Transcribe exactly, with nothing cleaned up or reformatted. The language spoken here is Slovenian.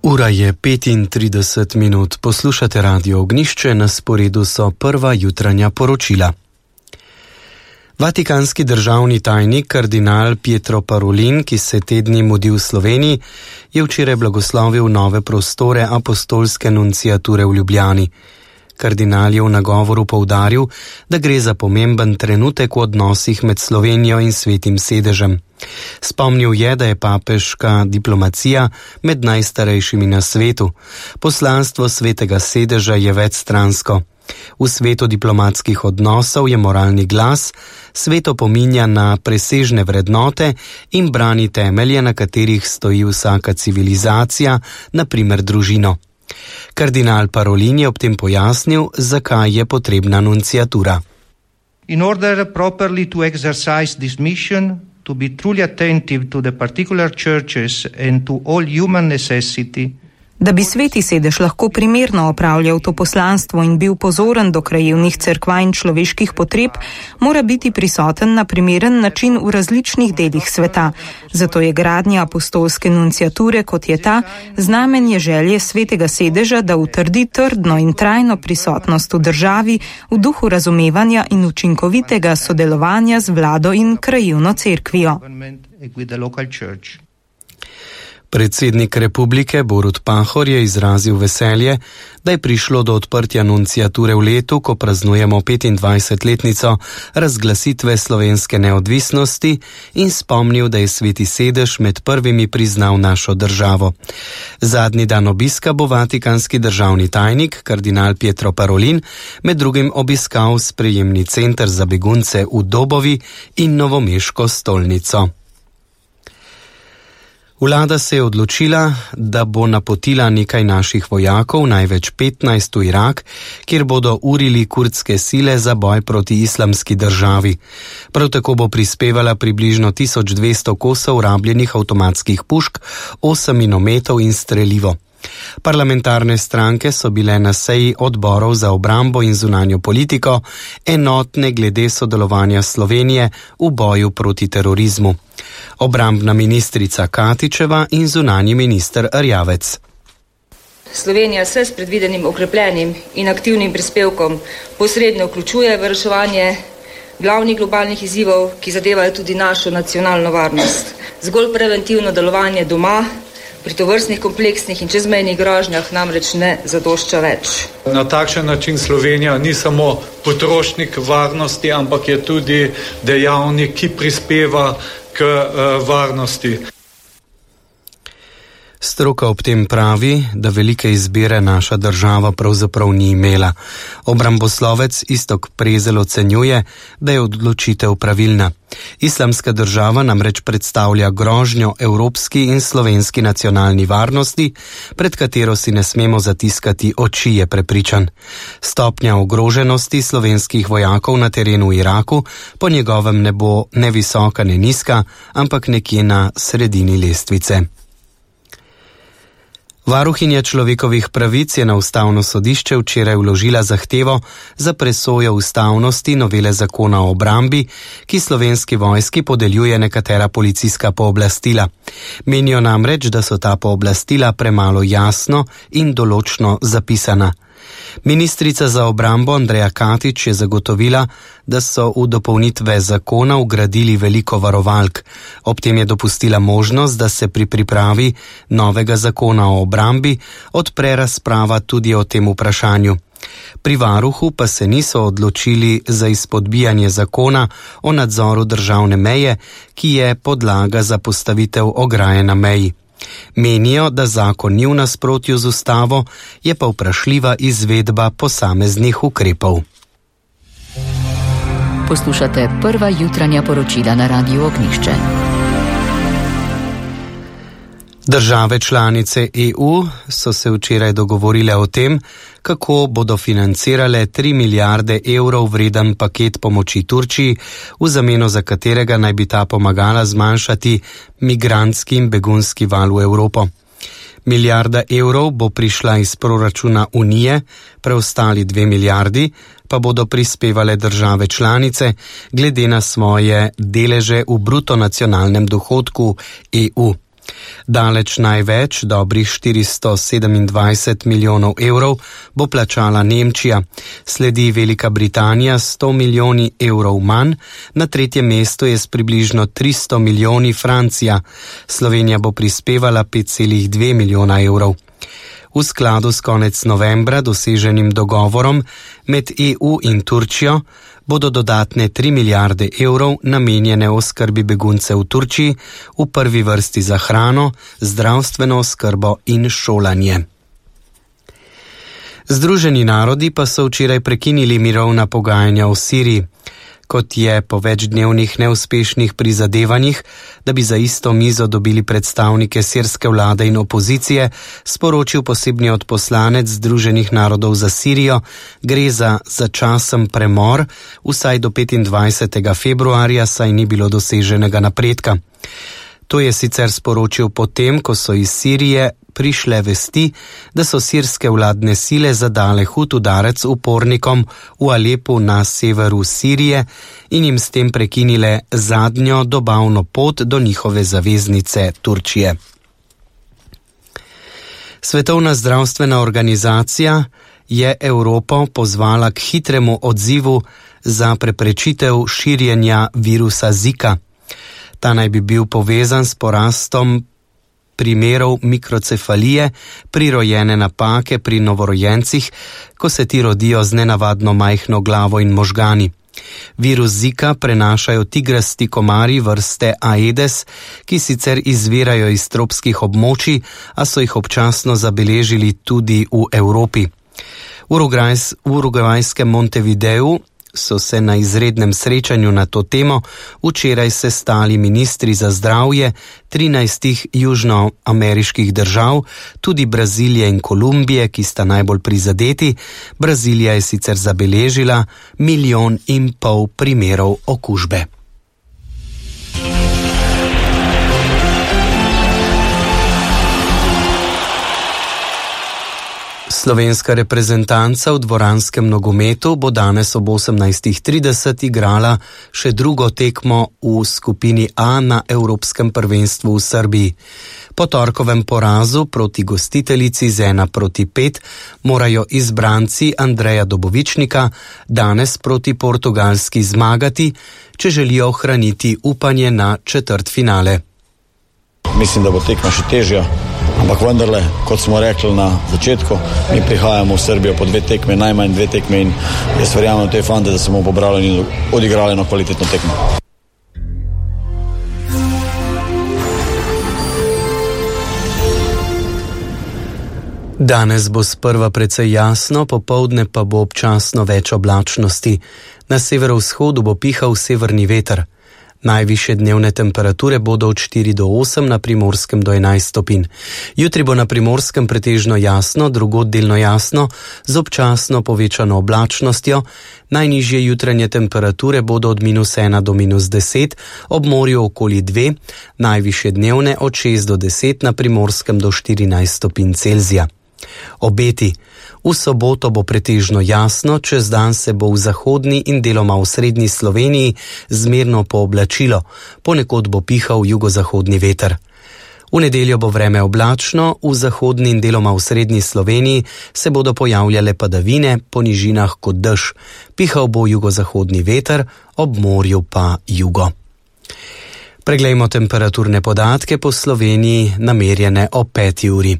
Ura je petintrideset minut, poslušate Radio Ognjišče, na sporedu so prva jutranja poročila. Vatikanski državni tajnik kardinal Pietro Parolin, ki se te dni mudi v Sloveniji, je včeraj blagoslovil nove prostore apostolske nunciature v Ljubljani. Kardinal je v nagovoru poudaril, da gre za pomemben trenutek v odnosih med Slovenijo in Svetim sedežem. Spomnil je, da je papeška diplomacija med najstarejšimi na svetu. Poslanstvo Svetega sedeža je večstransko. V svetu diplomatskih odnosov je moralni glas, svet opominja na presežne vrednote in brani temelje, na katerih stoji vsaka civilizacija, na primer družino. Kardinal Parolin je ob tem pojasnil, zakaj je potrebna nunciatura. In order properly to exercise this mission, to be truly attentive to the particular churches and to all human necessity. Da bi Sveti sedež lahko primerno opravljal to poslanstvo in bil pozoren do krajevnih cerkva in človeških potreb, mora biti prisoten na primeren način v različnih delih sveta. Zato je gradnja apostolske nunciature, kot je ta, znamenje želje Svetega sedeža, da utrdi trdno in trajno prisotnost v državi v duhu razumevanja in učinkovitega sodelovanja z vlado in krajevno cerkvijo. Predsednik republike Borut Pahor je izrazil veselje, da je prišlo do odprtja nunciature v letu, ko praznujemo petindvajsetletnico razglasitve slovenske neodvisnosti in spomnil, da je Sveti sedež med prvimi priznal našo državo. Zadnji dan obiska bo vatikanski državni tajnik, kardinal Pietro Parolin, med drugim obiskal sprejemni center za begunce v Dobovi in novomeško stolnico. Vlada se je odločila, da bo napotila nekaj naših vojakov, največ petnajst v Irak, kjer bodo urili kurdske sile za boj proti islamski državi. Prav tako bo prispevala približno tisoč dvesto kosov rabljenih avtomatskih pušk, osem minometov in strelivo. Parlamentarne stranke so bile na seji odborov za obrambo in zunanjo politiko enotne glede sodelovanja Slovenije v boju proti terorizmu. Obrambna ministrica Katičeva in zunanji minister Erjavec. Slovenija se s predvidenim okrepljenim in aktivnim prispevkom posredno vključuje v reševanje glavnih globalnih izzivov, ki zadevajo tudi našo nacionalno varnost. Zgolj preventivno delovanje doma pri tovrstnih kompleksnih in čezmejnih grožnjah namreč ne zadošča več. Na takšen način Slovenija ni samo potrošnik varnosti, ampak je tudi dejavnik, ki prispeva k uh, varnosti. Stroka ob tem pravi, da velike izbire naša država pravzaprav ni imela. Obramboslovec Iztok Prezelj ocenjuje, da je odločitev pravilna. Islamska država namreč predstavlja grožnjo evropski in slovenski nacionalni varnosti, pred katero si ne smemo zatiskati oči, je prepričan. Stopnja ogroženosti slovenskih vojakov na terenu v Iraku po njegovem ne bo ne visoka, ne nizka, ampak nekje na sredini lestvice. Varuhinja človekovih pravic je na ustavno sodišče včeraj vložila zahtevo za presojo ustavnosti novele zakona o obrambi, ki Slovenski vojski podeljuje nekatera policijska pooblastila. Menijo namreč, da so ta pooblastila premalo jasno in določno zapisana. Ministrica za obrambo Andreja Katič je zagotovila, da so v dopolnitve zakona vgradili veliko varovalk. Ob tem je dopustila možnost, da se pri pripravi novega zakona o obrambi odpre razprava tudi o tem vprašanju. Pri varuhu pa se niso odločili za izpodbijanje zakona o nadzoru državne meje, ki je podlaga za postavitev ograje na meji. Menijo, da zakon ni v nasprotju z ustavo, je pa vprašljiva izvedba posameznih ukrepov. Poslušate prva jutranja poročila na Radiu Ognjišče. Države članice E U so se včeraj dogovorile o tem, kako bodo financirale tri milijarde evrov vreden paket pomoči Turčiji, v zameno za katerega naj bi ta pomagala zmanjšati migrantski in begunski val v Evropo. Milijarda evrov bo prišla iz proračuna Unije, preostali dve milijardi pa bodo prispevale države članice glede na svoje deleže v bruto nacionalnem dohodku E U. Daleč največ, dobrih štiristo sedemindvajset milijonov evrov, bo plačala Nemčija. Sledi Velika Britanija s sto milijoni evrov manj, na tretjem mestu je s približno tristo milijoni Francija. Slovenija bo prispevala pet celih dve milijona evrov. V skladu s konec novembra doseženim dogovorom med E U in Turčijo bodo dodatne tri milijarde evrov namenjene oskrbi beguncev v Turčiji, v prvi vrsti za hrano, zdravstveno oskrbo in šolanje. Združeni narodi pa so včeraj prekinili mirovna pogajanja v Siriji. Kot je po večdnevnih neuspešnih prizadevanjih, da bi za isto mizo dobili predstavnike sirske vlade in opozicije, sporočil posebni odposlanec Združenih narodov za Sirijo, gre za začasen premor, vsaj do petindvajsetega februarja, saj ni bilo doseženega napredka. To je sicer sporočil potem, ko so iz Sirije prišle vesti, da so sirske vladne sile zadale hud udarec upornikom v Alepu na severu Sirije in jim s tem prekinile zadnjo dobavno pot do njihove zaveznice Turčije. Svetovna zdravstvena organizacija je Evropo pozvala k hitremu odzivu za preprečitev širjenja virusa Zika. Ta naj bi bil povezan s porastom primerov mikrocefalije, prirojene napake pri novorojencih, ko se ti rodijo z nenavadno majhno glavo in možgani. Virus Zika prenašajo tigrasti komarji vrste Aedes, ki sicer izvirajo iz tropskih območij, a so jih občasno zabeležili tudi v Evropi. V urugvajskem Montevideu so se na izrednem srečanju na to temo včeraj sestali ministri za zdravje trinajstih južnoameriških držav, tudi Brazilije in Kolumbije, ki sta najbolj prizadeti. Brazilija je sicer zabeležila milijon in pol primerov okužbe. Slovenska reprezentanca v dvoranskem nogometu bo danes ob osemnajstih trideset igrala še drugo tekmo v skupini A na Evropskem prvenstvu v Srbiji. Po torkovem porazu proti gostiteljici z ena proti pet morajo izbranci Andreja Dobovičnika danes proti Portugalski zmagati, če želijo ohraniti upanje na četrtfinale. Mislim, da bo tekma še težja. Ampak vendarle, kot smo rekli na začetku, mi prihajamo v Srbijo po dve tekme, najmanj dve tekme in jaz verjamem v te fante, da se bomo pobrali in odigrali eno kvalitetno tekmo. Danes bo sprva precej jasno, popoldne pa bo občasno več oblačnosti. Na severovzhodu bo pihal severni veter. Najvišje dnevne temperature bodo od štiri do osem, na Primorskem do enajst stopinj. Jutri bo na Primorskem pretežno jasno, drugod delno jasno, z občasno povečano oblačnostjo. Najnižje jutranje temperature bodo od minus ena do minus deset, ob morju okoli dve, najvišje dnevne od šest do deset, na Primorskem do štirinajst stopinj Celzija. Obeti. V soboto bo pretežno jasno, čez dan se bo v zahodni in deloma v srednji Sloveniji zmerno pooblačilo, ponekod bo pihal jugozahodni veter. V nedeljo bo vreme oblačno, v zahodni in deloma v srednji Sloveniji se bodo pojavljale padavine, po nižinah kot dež. Pihal bo jugozahodni veter, ob morju pa jugo. Preglejmo temperaturne podatke po Sloveniji namerjene o peti uri.